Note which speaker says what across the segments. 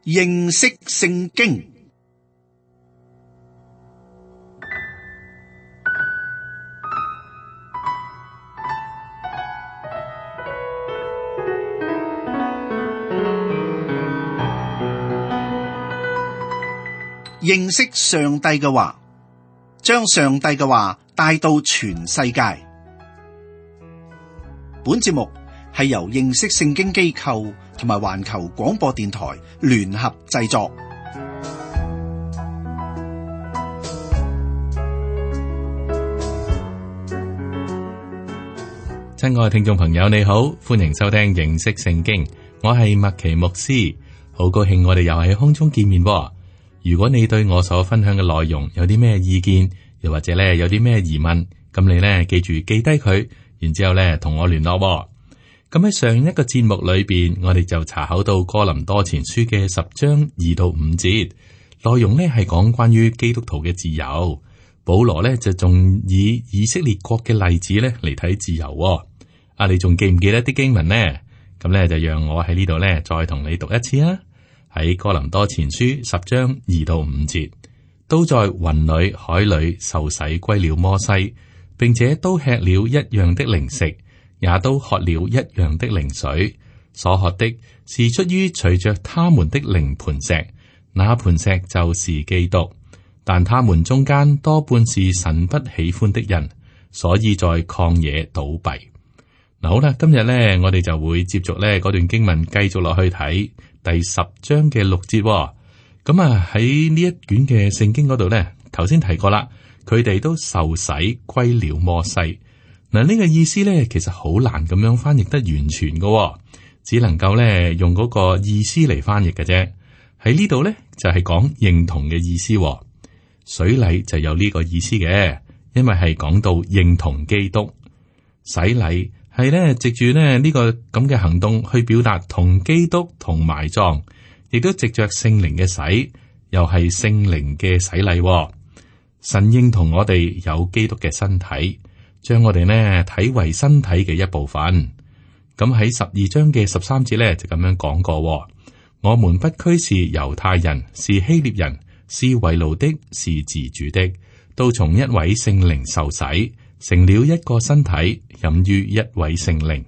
Speaker 1: 認識聖經。認識上帝嘅話，將上帝嘅話帶到全世界。本節目係由認識聖經機構同埋環球廣播電台聯合製作。
Speaker 2: 親愛嘅聽眾朋友，你好，歡迎收聽認識聖經。我係麥奇牧師，好高興我哋又喺空中見面。如果你對我所分享嘅內容有啲咩意見，又或者咧有啲咩疑問，咁你咧記住記低佢，然之後咧同我聯絡。咁喺上一個節目裏邊，我哋就查考到哥林多前書嘅10章2到5節，內容咧係講關於基督徒嘅自由。保羅咧就仲以色列國嘅例子咧嚟睇自由。你仲記唔記得啲經文呢？咁咧就讓我喺呢度咧再同你讀一次啊！喺哥林多前書10章2到5節，都在雲裏海裏受洗歸了摩西，並且都吃了一樣的靈食，也都喝了一樣的靈水。所喝的是出於隨着他們的靈磐石，那磐石就是基督。但他們中間多半是神不喜歡的人，所以在曠野倒閉。嗱，好啦，今日咧我哋就會接續咧嗰段經文繼續落去睇第10章嘅6節。咁喺呢一卷嘅聖經嗰度咧，頭先提過啦，佢哋都受洗歸了摩西。嗱，呢個意思咧其實好難咁樣翻譯得完全嘅，只能夠咧用嗰個意思嚟翻譯嘅啫。喺呢度咧就係講認同嘅意思。水禮就有呢個意思嘅，因為係講到認同基督。洗禮係咧藉住咧呢個咁嘅行動去表達同基督同埋葬，亦都藉着聖靈嘅洗，又係聖靈嘅洗禮。神認同我哋有基督嘅身體，將我哋呢睇為身體嘅一部分。咁喺12章嘅13節咧就咁樣講過：我們不拘是猶太人，是希臘人，是為奴的，是自主的，都從一位聖靈受洗，成了一個身體，飲於一位聖靈。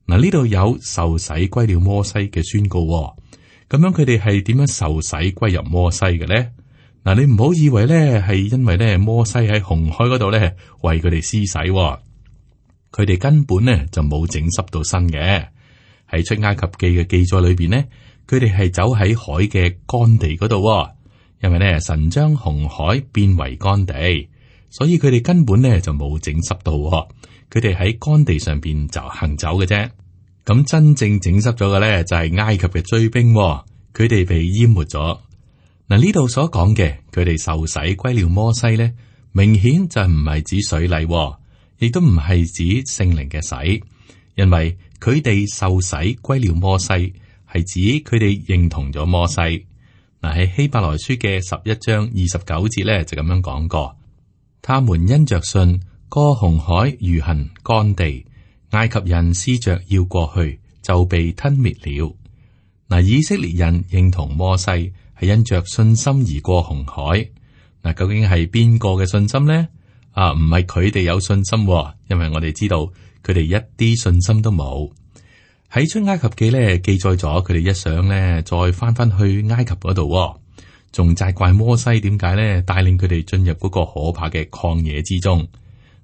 Speaker 2: 嗱，呢度有受洗歸了摩西嘅宣告。咁樣佢哋係點樣受洗歸入摩西嘅咧？嗱，你唔好以為咧係因為咧摩西喺紅海嗰度咧為佢哋施洗，佢哋根本咧就冇整濕到身嘅。喺出埃及記嘅記載裏邊呢，佢哋係走喺海嘅乾地嗰度，因為咧神將紅海變為乾地。所以佢哋根本咧就冇整濕到，佢哋喺乾地上邊就行走嘅啫。咁真正整濕咗嘅咧就係埃及嘅追兵，佢哋被淹沒咗。嗱，呢度所講嘅佢哋受洗歸了摩西咧，明顯就唔係指水禮，亦都唔係指聖靈嘅洗，因為佢哋受洗歸了摩西係指佢哋認同咗摩西。嗱，喺希伯來書嘅11章29節咧就咁樣講過。他們因着信過紅海如行乾地，埃及人思着要過去，就被吞滅了。嗱，以色列人認同摩西係因着信心而過紅海。嗱，究竟係邊個嘅信心呢？唔係佢哋有信心，因為我哋知道佢哋一啲信心都冇。喺出埃及記咧記載咗佢哋一想咧再翻去埃及嗰度。仲責怪摩西點解咧帶領佢哋進入嗰個可怕嘅曠野之中。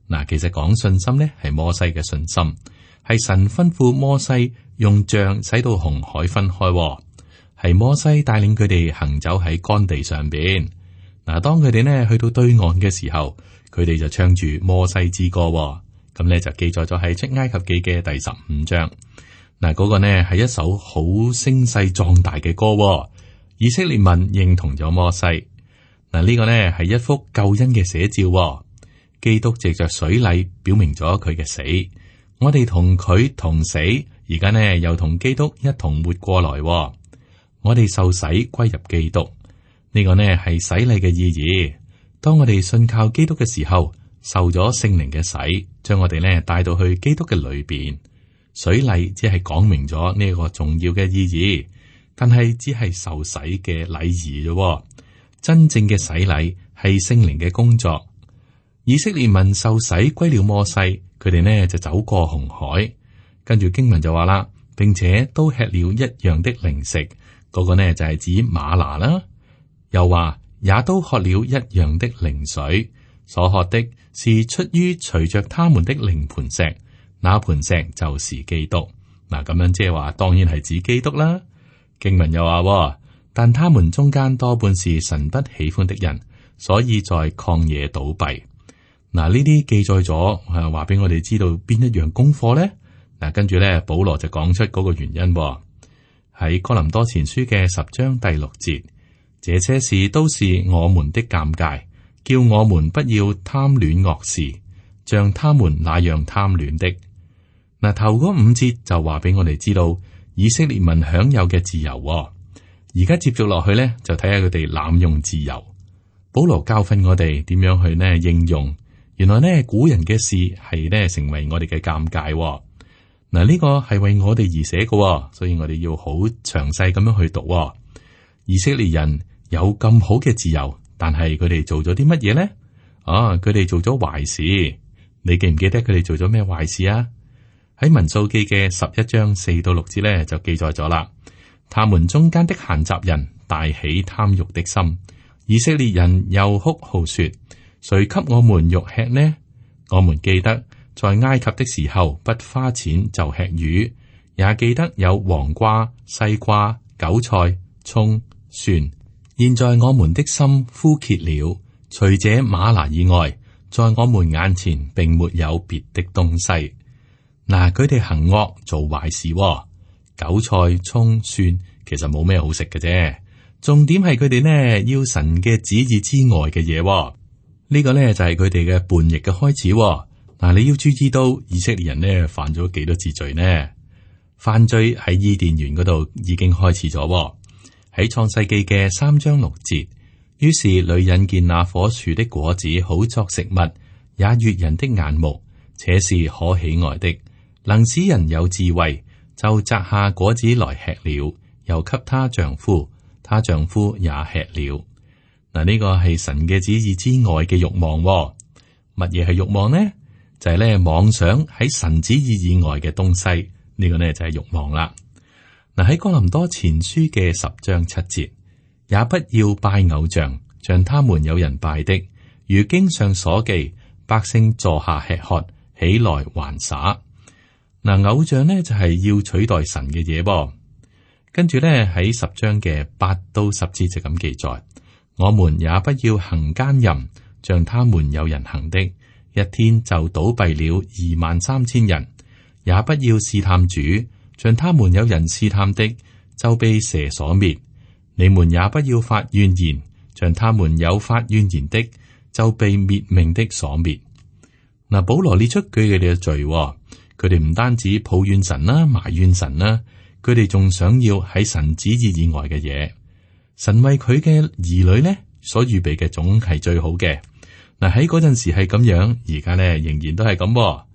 Speaker 2: 嗱，其實講信心咧係摩西嘅信心，係神吩咐摩西用杖使到紅海分開，係摩西帶領佢哋行走喺乾地上邊。嗱，當佢哋呢去到對岸嘅時候，佢哋就唱住摩西之歌，咁咧就記載咗喺出埃及記嘅第15章。嗱，嗰個呢係一首好聲勢壯大嘅歌。以色列民認同咗摩西。嗱，呢個呢係一幅救恩嘅寫照。基督藉着水禮表明咗佢嘅死，我哋同佢同死，而家呢又同基督一同活過來。我哋受洗歸入基督，呢個呢係洗禮嘅意義。當我哋信靠基督嘅時候，受咗聖靈嘅洗，將我哋呢帶到去基督嘅裏邊。水禮只係講明咗呢個重要嘅意義。但係只係受洗嘅禮儀啫。真正嘅洗禮係聖靈嘅工作。以色列民受洗歸了摩西，佢哋呢就走過紅海，跟住經文就話啦，並且都吃了一樣的零食，嗰個呢就係指嗎哪啦。又話也都喝了一樣的靈水，所喝的是出於隨着他們的靈磐石，那磐石就是基督。嗱，咁樣即係話，當然係指基督啦。經文又話，但他們中間多半是神不喜歡的人，所以在曠野倒閉。嗱，呢啲記載咗，話俾我哋知道邊一樣功課咧？嗱，跟住咧，保羅就講出嗰個原因喺哥林多前書嘅10章第6節，這些事都是我們的鑑戒，叫我們不要貪戀惡事，像他們那樣貪戀的。嗱，頭嗰5節就話俾我哋知道以色列民享有嘅自由。而家接續落去咧，就睇下佢哋濫用自由。保羅教訓我哋點樣去呢應用。原來呢古人嘅事係呢成為我哋嘅鑑戒。嗱，呢個係為我哋而寫嘅，所以我哋要好詳細咁樣去讀。以色列人有咁好嘅自由，但係佢哋做咗啲乜嘢咧？佢哋做咗壞事。你記唔記得佢哋做咗咩壞事啊？喺民數記嘅11章4到6節咧就記載咗啦。他們中間的閒雜人大起貪欲的心，以色列人又哭號說：誰給我們肉吃呢？我們記得在埃及的時候，不花錢就吃魚，也記得有黃瓜、西瓜、韭菜、蔥、蒜。現在我們的心枯竭了，除這嗎哪以外，在我們眼前並沒有別的東西。嗱，佢哋行惡做壞事。韭菜、蔥、蒜其實冇咩好食嘅啫，重點係佢哋呢要神嘅旨意之外嘅嘢。呢個呢就係佢哋嘅叛逆嘅開始。嗱，你要注意到以色列人呢犯咗幾多次罪呢？犯罪喺伊甸園嗰度已經開始咗。喺創世記嘅3章6節，於是女人見那棵樹的果子好作食物，也悅人的眼目，且是可喜愛的，能使人有智慧。就摘下果子來吃了，又給她丈夫，她丈夫也吃了。嗱，呢個係神嘅旨意之外嘅慾望。乜嘢係慾望呢？就係咧妄想喺神旨意以外嘅東西。呢個呢就係慾望啦。嗱，喺哥林多前書嘅10章7節，也不要拜偶像，像他們有人拜的，如經上所記，百姓坐下吃喝，起來玩耍。嗱，偶像呢就係要取代神嘅嘢噃。跟住呢喺10章嘅8到10節就咁記載，我們也不要行奸淫，像他們有人行的，一天就倒閉了23000人；也不要試探主，像他們有人試探的，就被蛇所滅。你們也不要發怨言，像他們有發怨言的，就被滅命的所滅。嗱，保羅列出佢哋嘅罪。佢哋唔單止抱怨神啦、埋怨神啦，佢哋仲想要喺神旨意以外嘅嘢。神為佢嘅兒女呢所預備嘅總係最好嘅。嗱，喺嗰陣時係咁樣，而家呢仍然都係咁。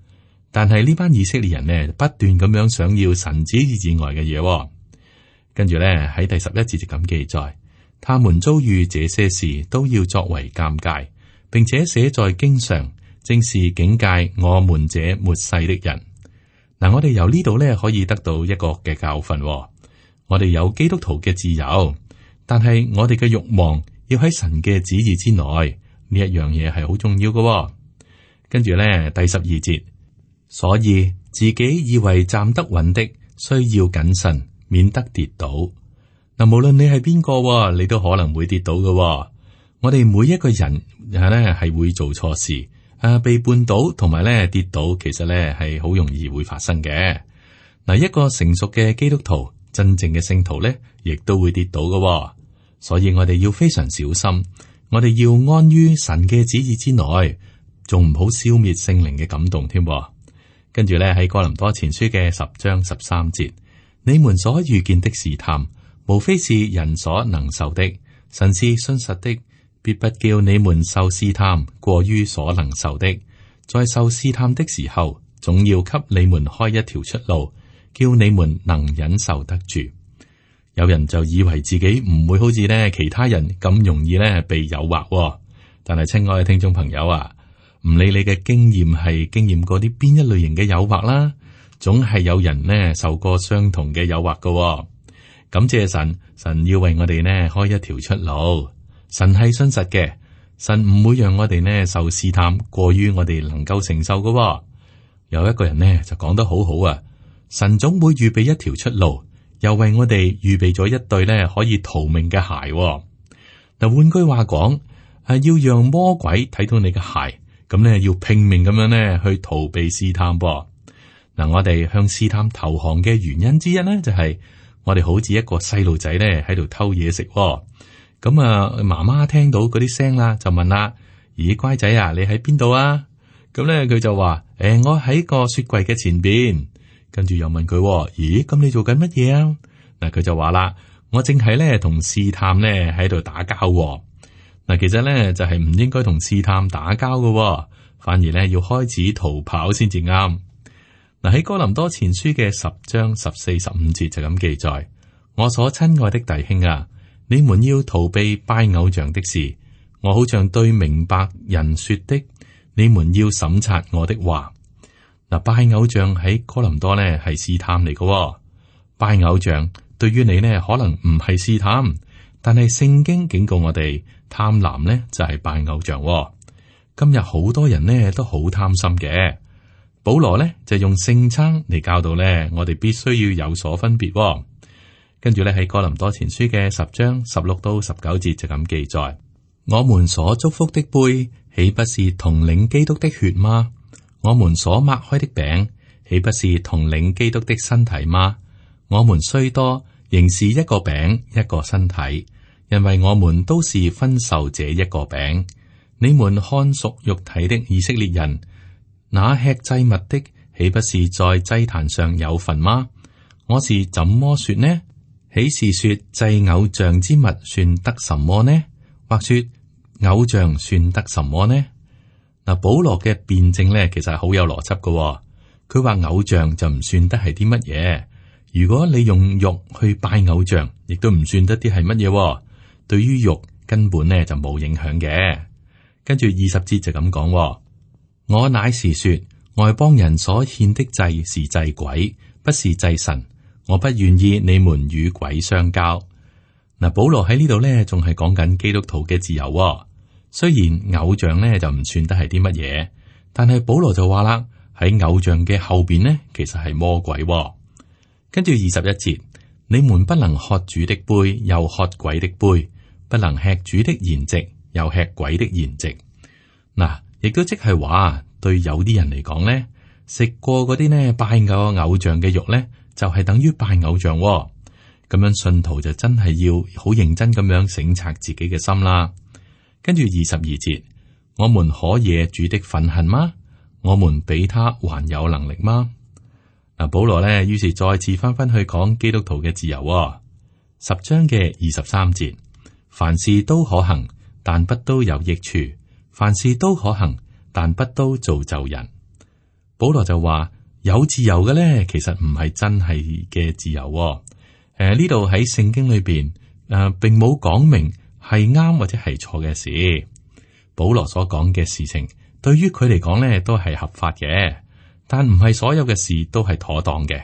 Speaker 2: 但係呢班以色列人呢不斷咁樣想要神旨意以外嘅嘢。跟住呢喺第11節就咁記載，他們遭遇這些事都要作為鑑戒，並且寫在經上，正是警戒我們這末世的人。嗱，我哋由呢度咧可以得到一個嘅教訓。我哋有基督徒嘅自由，但係我哋嘅慾望要喺神嘅旨意之內，呢一樣嘢係好重要嘅。跟住咧第12節，所以自己以為站得穩的，需要謹慎，免得跌倒。嗱，無論你係邊個，你都可能會跌倒嘅。我哋每一個人係會做錯事。被絆倒同埋咧跌倒，其實咧係好容易會發生嘅。嗱，一個成熟嘅基督徒，真正嘅聖徒咧，亦都會跌倒嘅。所以我哋要非常小心，我哋要安於神嘅旨意之內，仲唔好消滅聖靈嘅感動添。跟住咧喺哥林多前書嘅10章13節，你們所遇見的試探，無非是人所能受的，神是信實的。必不叫你們受試探過於所能受的，在受試探的時候，總要給你們開一條出路，叫你們能忍受得住。有人就以為自己唔會好似咧其他人咁容易咧被誘惑，但係親愛嘅聽眾朋友啊，唔理你嘅經驗係經驗過啲邊一類型嘅誘惑啦，總係有人呢受過相同嘅誘惑㗎。感謝神，神要為我哋呢開一條出路。神係信實嘅，神唔會讓我哋呢受試探過於我哋能夠承受㗎。有一個人呢就講得好好啊，神總會預備一條出路。又為我哋預備咗一對咧可以逃命嘅鞋。嗱，換句話講，係要讓魔鬼睇到你嘅鞋，咁咧要拼命咁樣咧去逃避試探。嗱，我哋向試探投降嘅原因之一咧，就係我哋好似一個細路仔咧喺度偷嘢食。咁啊，媽媽聽到嗰啲聲啦，就問啦：咦，乖仔啊，你喺邊度啊？咁咧佢就話：我喺個雪櫃嘅前邊。跟住又問佢：咦，咁你做緊乜嘢啊？嗱，佢就話啦：我正係咧同試探咧喺度打交。嗱，其實咧就係唔應該同試探打交嘅，反而咧要開始逃跑先至啱。嗱，喺哥林多前書嘅10章14、15節就咁記載：我所親愛的弟兄啊，你們要逃避拜偶像的事。我好像對明白人說的，你們要審察我的話。嗱，拜偶像喺哥林多呢係試探嚟嘅。拜偶像對於你呢可能唔係試探，但係聖經警告我哋，貪婪呢就係拜偶像。今日好多人呢都好貪心嘅。保羅呢就用聖餐嚟教導呢，我哋必須要有所分別。跟住呢喺哥林多前書嘅10章16到19節就咁記載：我們所祝福的杯，豈不是同領基督的血嗎？我們所擘開的餅，豈不是同領基督的身體嗎？我們雖多，仍是一個餅，一個身體，因為我們都是分受這一個餅。你們看屬肉體的以色列人，那吃祭物的，豈不是在祭壇上有份嗎？我是怎麼說呢？豈是說祭偶像之物算得什麼呢？或說偶像算得什麼呢？嗱，保羅嘅辯證咧，其實係好有邏輯嘅。佢話偶像就唔算得係啲乜嘢。如果你用肉去拜偶像，亦都唔算得啲係乜嘢。對於肉根本咧就冇影響嘅。跟住20節就咁講：我乃是說外邦人所獻的祭是祭鬼，不是祭神。我不願意你們與鬼相交。嗱，保羅喺呢度咧仲係講緊基督徒嘅自由。雖然偶像咧就唔算得係啲乜嘢，但係保羅就話啦，喺偶像嘅後邊呢，其實係魔鬼。跟住21節，你們不能喝主的杯，又喝鬼的杯；不能吃主的筵席，又吃鬼的宴席。嗱，亦都即係話，對有啲人嚟講呢，食過嗰啲呢拜偶像嘅肉呢，就係等於拜偶像。咁樣信徒就真係要好認真咁樣省察自己嘅心啦。跟住22節，我們可惹主的憤恨嗎？我們比他還有能力嗎？嗱，保羅呢，於是再次翻返去講基督徒嘅自由。10章嘅23節，凡事都可行，但不都有益處；凡事都可行，但不都造就人。保羅就話有自由嘅呢，其實唔係真係嘅自由。呢度喺聖經裏邊並冇講明係啱或者係錯嘅事。保羅所講嘅事情，對於佢嚟講咧都係合法嘅，但唔係所有嘅事都係妥當嘅。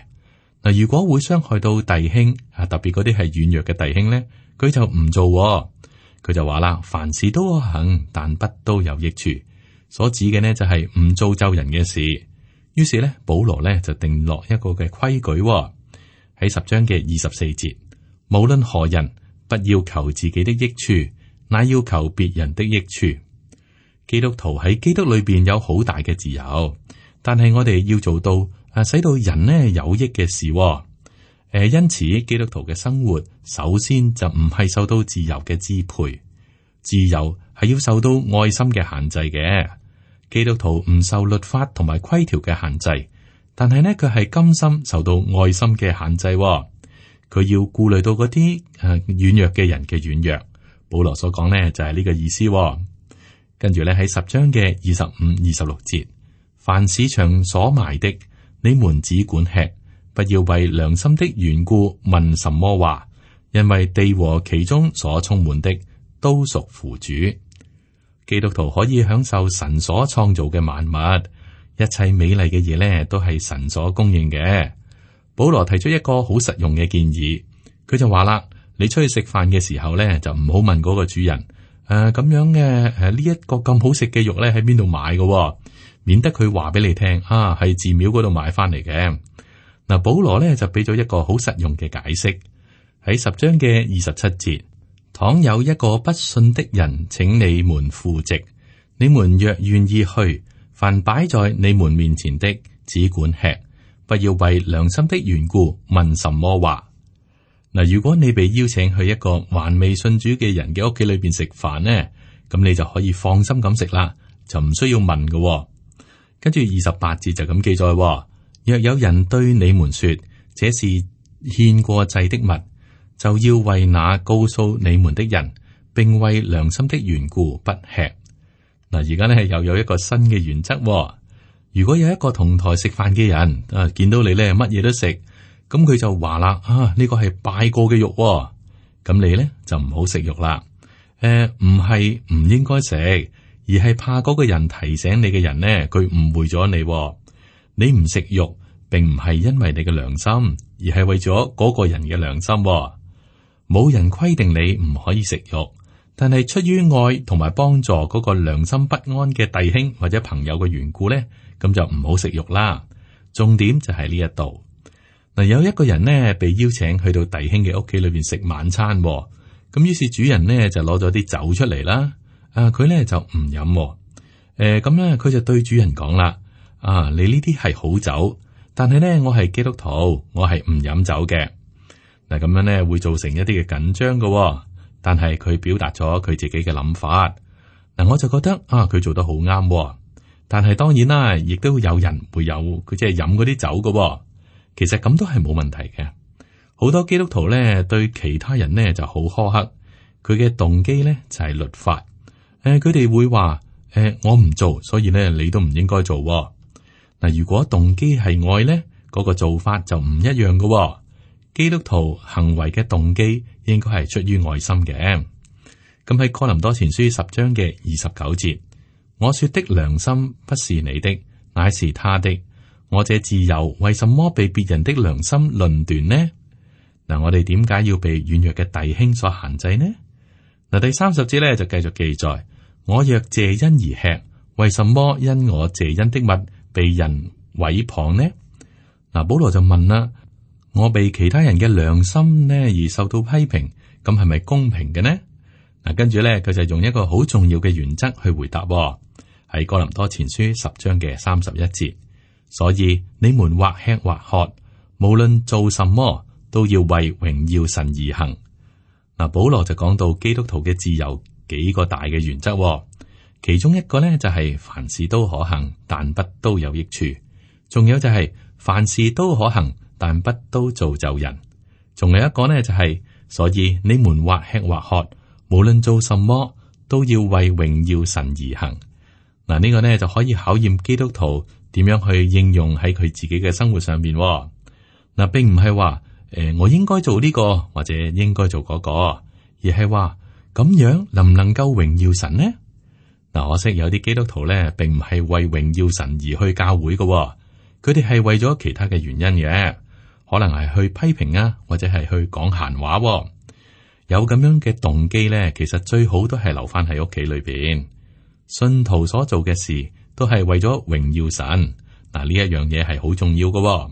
Speaker 2: 嗱，如果會傷害到弟兄特別嗰啲係軟弱嘅弟兄咧，佢就唔做。佢就話啦，凡事都可行，但不都有益處。所指嘅呢就係唔造就人嘅事。於是咧，保羅咧就定落一個嘅規矩喺10章嘅24節，無論何人，不要求自己的益處，乃要求別人的益處。基督徒喺基督裏邊有好大嘅自由，但係我哋要做到使到人呢有益嘅事。因此基督徒嘅生活首先就唔係受到自由嘅支配，自由係要受到愛心嘅限制嘅。基督徒唔受律法同埋規條嘅限制，但係呢，佢係甘心受到愛心嘅限制。佢要顧慮到嗰啲軟弱嘅人嘅軟弱。保羅所講呢就係呢個意思。跟住咧喺10章嘅25、26節，凡市場所賣的，你們只管吃，不要為良心的緣故問什麼話，因為地和其中所充滿的都屬父主。基督徒可以享受神所創造嘅萬物，一切美麗嘅嘢咧都係神所供應嘅。保羅提出一個好實用嘅建議，佢就話啦：你出去食飯嘅時候咧，就唔好問嗰個主人咁樣嘅呢一個咁好食嘅肉咧喺邊度買嘅，免得佢話俾你聽係寺廟嗰度買翻嚟嘅。嗱，保羅咧就俾咗一個好實用嘅解釋，喺10章嘅27節。倘有一個不信的人請你們赴席，你們若願意去，凡擺在你們面前的，只管吃，不要為良心的緣故問什麼話。嗱，如果你被邀請去一個還未信主嘅人嘅屋企裏邊食飯呢，咁你就可以放心咁食啦，就唔需要問嘅。跟住28節就咁記載，若有人對你們說這是獻過祭的物，就要為那告訴你們的人，並為良心的緣故不吃。嗱，而家咧又有一個新嘅原則。如果有一個同台食飯嘅人見到你咧乜嘢都食，咁佢就話啦呢個係拜過嘅肉，咁你咧就唔好食肉啦。唔係唔應該食，而係怕嗰個人提醒你嘅人呢，佢誤會咗你。你唔食肉，並唔係因為你嘅良心，而係為咗嗰個人嘅良心。冇人規定你唔可以食肉，但係出於愛同埋幫助嗰個良心不安嘅弟兄或者朋友嘅緣故咧，咁就唔好食肉啦。重點就係呢一度。嗱，有一個人呢，被邀請去到弟兄嘅屋企裏邊食晚餐，咁於是主人呢，就攞咗啲酒出嚟啦。佢咧就唔飲，咁咧佢就對主人講啦：你呢啲係好酒，但係咧我係基督徒，我係唔飲酒嘅。嗱，咁樣咧會造成一啲嘅緊張嘅，但係佢表達咗佢自己嘅諗法。嗱，我就覺得佢做得好啱，但係當然啦，亦都有人會有佢即係飲嗰啲酒嘅。其實咁都係冇問題嘅。好多基督徒咧對其他人呢就好苛刻，佢嘅動機咧就係律法。佢哋會話我唔做，所以咧你都唔應該做。嗱，如果動機係愛咧，嗰個做法就唔一樣嘅。基督徒行為嘅動機應該係出於愛心嘅。咁喺哥林多前書10章嘅29節，我說的良心不是你的，乃是他的。我這自由為什麼被別人的良心論斷呢？嗱，我哋點解要被軟弱嘅弟兄所限制呢？嗱，第30節咧就繼續記載：我若謝恩而吃，為什麼因我謝恩的物被人毀謗呢？嗱，保羅就問啦：我被其他人嘅良心呢而受到批評，咁係咪公平嘅呢？嗱，跟住咧佢就用一個好重要嘅原則去回答，喺哥林多前書10章嘅31節。所以你們或吃或喝，無論做什麼，都要為榮耀神而行。嗱，保羅就講到基督徒嘅自由幾個大嘅原則，其中一個呢就係凡事都可行，但不都有益處；仲有就係凡事都可行，但不都造就人；仲有一個呢就係，所以你們或吃或喝，無論做什麼，都要為榮耀神而行。嗱，呢個呢就可以考驗基督徒點樣去應用喺佢自己嘅生活上面。嗱，並唔係話我應該做呢個或者應該做嗰個，而係話咁樣能唔能夠榮耀神呢？嗱，可惜有啲基督徒咧，並唔係為榮耀神而去教會嘅，佢哋係為咗其他嘅原因嘅，可能係去批評啊，或者係去講閒話。有咁樣嘅動機咧，其實最好都係留翻喺屋企裏邊。信徒所做嘅事都係為咗榮耀神。嗱，呢一樣嘢係好重要嘅。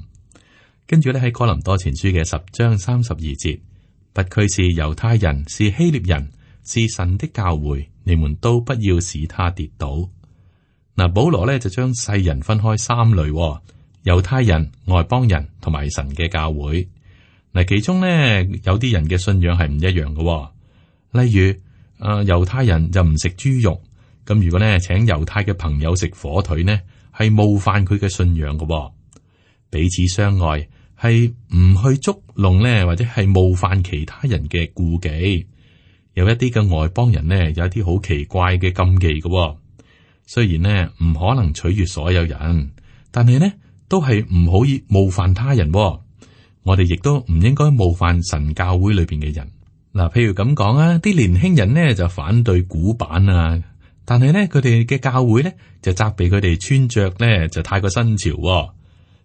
Speaker 2: 跟住咧喺哥林多前書嘅10章32節，不拘是猶太人，是希臘人，是神的教會，你們都不要使他跌倒。嗱，保羅咧就將世人分開3類，猶太人、外邦人同埋神嘅教會。嗱，其中咧有啲人嘅信仰係唔一樣嘅，例如猶太人就唔食豬肉，咁如果咧請猶太嘅朋友食火腿呢，係冒犯佢嘅信仰嘅。彼此相愛係唔去捉弄咧，或者係冒犯其他人嘅顧忌。有一啲嘅外邦人呢，有一啲好奇怪嘅禁忌嘅。雖然呢唔可能取悅所有人，但係呢都係唔可以冒犯他人。我哋亦都唔應該冒犯神教會裏邊嘅人。嗱，譬如咁講啊，啲年輕人呢就反對古板啊，但係呢，佢哋嘅教會呢就責備佢哋穿着呢就太過新潮。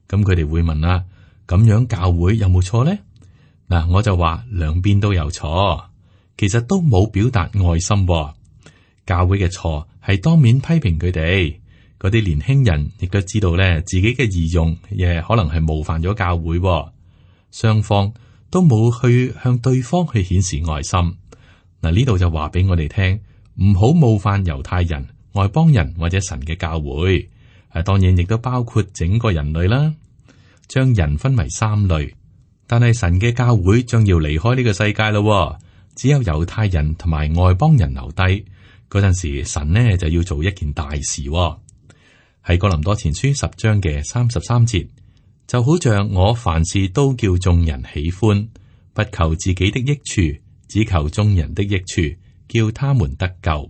Speaker 2: 咁佢哋會問啦，咁樣教會有冇錯呢？嗱，我就話兩邊都有錯，其實都冇表達愛心。教會嘅錯係當面批評佢哋，嗰啲年輕人亦都知道咧自己嘅儀容亦可能係冒犯咗教會。雙方都冇去向對方去顯示愛心。嗱，呢度就話俾我哋聽，唔好冒犯猶太人、外邦人或者神嘅教會。當然亦都包括整個人類啦。將人分為三類，但係神嘅教會將要離開呢個世界咯。只有猶太人同埋外邦人留低。嗰陣時，神呢就要做一件大事。喺哥林多前書10章嘅33節。就好像我凡事都叫眾人喜歡，不求自己的益處，只求眾人的益處，叫他們得救。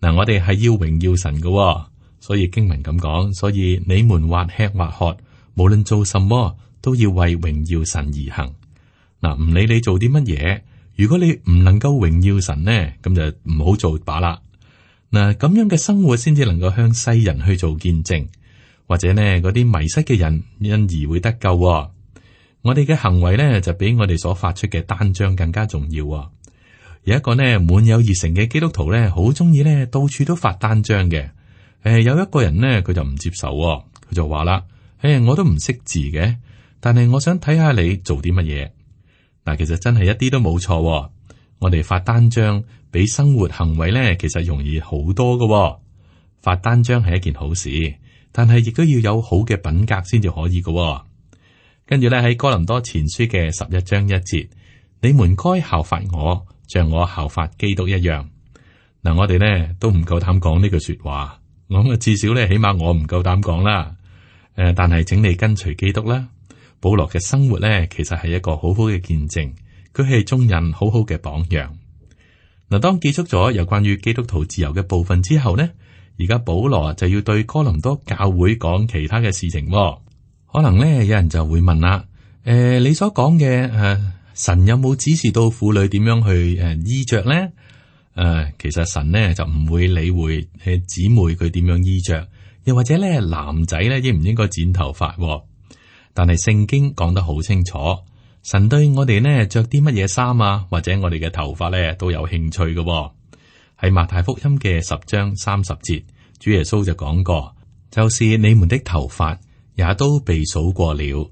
Speaker 2: 嗱，我哋係要榮耀神嘅，所以經文咁講，所以你們或吃或喝，無論做什麼，都要為榮耀神而行。嗱，唔理你做啲乜嘢，如果你唔能夠榮耀神呢，咁就唔好做罷啦。嗱，咁樣嘅生活先至能夠向世人去做見證。或者呢，嗰啲迷失嘅人因而會得救。我哋嘅行為呢，就比我哋所發出嘅單張更加重要。有一個呢滿有熱誠嘅基督徒呢，好中意呢到處都發單張嘅。有一個人呢，佢就唔接受，佢就話啦：我都唔識字嘅，但係我想睇下你做啲乜嘢。嗱，其實真係一啲都冇錯。我哋發單張比生活行為呢，其實容易好多㗎。發單張係一件好事。但係亦都要有好嘅品格先至可以嘅。跟住咧喺哥林多前書嘅11章1節，你們該效法我，像我效法基督一樣。嗱，我哋咧都唔夠膽講呢句說話，咁啊至少咧起碼我唔夠膽講啦。但係請你跟隨基督啦。保羅嘅生活咧其實係一個好好嘅見證，佢係眾人好好嘅榜樣。嗱，當結束咗有關於基督徒自由嘅部分之後呢，而家保羅就要對哥林多教會講其他嘅事情。可能咧有人就會問啦，你所講嘅神有冇指示到婦女點樣去衣着咧？其實神呢就唔會理會姊妹佢點樣衣着，又或者咧男仔咧應唔應該剪頭髮。但係聖經講得好清楚，神對我哋呢着啲乜嘢衫啊，或者我哋嘅頭髮咧都有興趣嘅。喺馬太福音嘅10章30節，主耶穌就講過，就是你們的頭髮也都被數過了。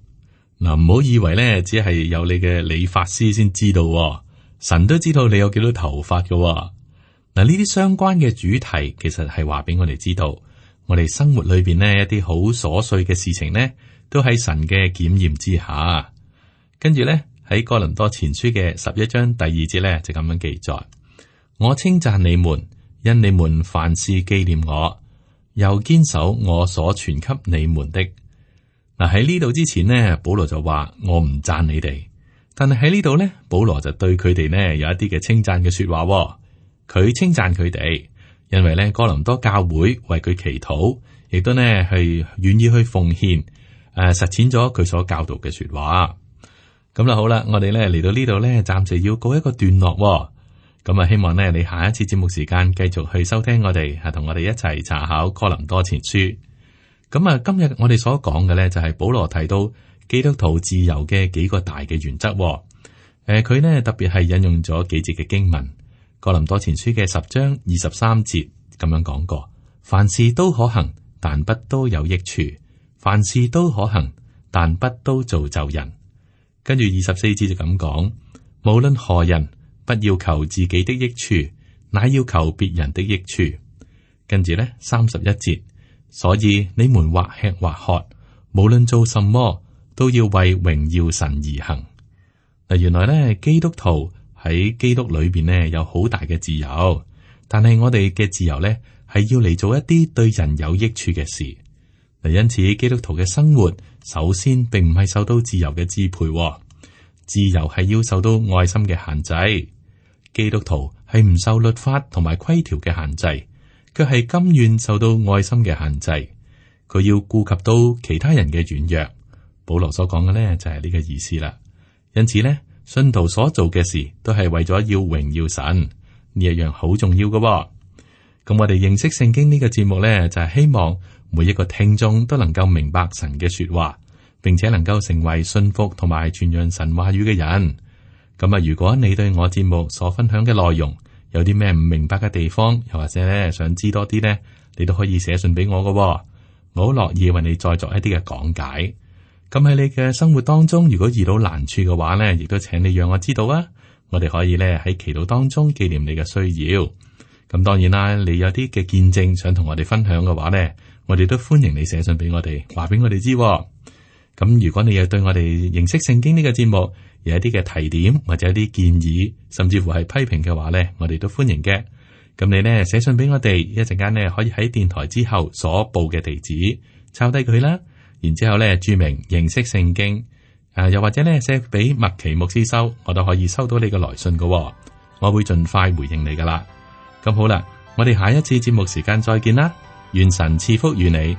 Speaker 2: 嗱，唔好以為咧只係有你嘅理髮師先知道，神都知道你有幾多頭髮嘅。嗱，呢啲相關嘅主題，其實係話俾我哋知道，我哋生活裏邊呢一啲好瑣碎嘅事情呢，都喺神嘅檢驗之下。跟住咧喺哥林多前書嘅11章第2節咧就咁樣記載。我稱讚你們，因你們凡事紀念我，又堅守我所傳給你們的。嗱，喺呢度之前呢，保羅就話我唔讚你哋，但係喺呢度呢，保羅就對佢哋呢有一啲嘅稱讚嘅說話。佢稱讚佢哋，因為呢哥林多教會為佢祈禱，亦都呢係願意去奉獻，實踐咗佢所教導嘅說話。咁啦，好啦，我哋呢嚟到呢度呢，暫時要告一個段落。咁啊，希望咧你下一次節目時間繼續去收聽我哋，係同我哋一齊查考哥林多前書。咁啊，今日我哋所講嘅咧就係保羅提到基督徒自由嘅幾個大嘅原則。佢呢特別係引用咗幾節嘅經文，哥林多前書嘅10章23節咁樣講過：凡事都可行，但不都有益處；凡事都可行，但不都造就人。跟住24節就咁講：無論何人，不要求自己的益處，乃要求別人的益處。跟住呢31節，所以你們或吃或喝，無論做什麼，都要為榮耀神而行。嗱，原來呢基督徒喺基督裏邊呢有好大嘅自由，但係我哋嘅自由呢係要嚟做一啲對人有益處嘅事。嗱，因此基督徒嘅生活首先並唔係受到自由嘅支配，自由係要受到愛心嘅限制。基督徒係唔受律法同埋規條嘅限制，卻係甘願受到愛心嘅限制。佢要顧及到其他人嘅軟弱，保羅所講嘅呢，就係呢個意思啦。因此呢，信徒所做嘅事都係為咗要榮耀神，呢一樣好重要嘅。咁我哋認識聖經呢個節目呢，就係希望每一個聽眾都能夠明白神嘅說話，並且能夠成為信服同埋傳揚神話語嘅人。咁啊，如果你對我節目所分享嘅內容有啲咩唔明白嘅地方，又或者咧想知多啲呢，你都可以寫信俾我嘅。我好樂意為你再作一啲嘅講解。咁喺你嘅生活當中，如果遇到難處嘅話呢，亦都請你讓我知道啊。我哋可以咧喺祈禱當中紀念你嘅需要。咁當然啦，你有啲嘅見證想同我哋分享嘅話呢，我哋都歡迎你寫信俾我哋，話俾我哋知。咁如果你又對我哋認識聖經呢個節目有一啲嘅提點或者一啲建議，甚至乎係批評嘅話呢，我哋都歡迎嘅。咁你呢寫信俾我哋，一陣間呢可以喺電台之後所報嘅地址抄低佢啦，然之後呢注明認識聖經，又或者呢寫俾麥奇牧師收，我都可以收到你嘅來信嘅，我會盡快回應你噶啦。咁好啦，我哋下一次節目時間再見啦，願神賜福與你。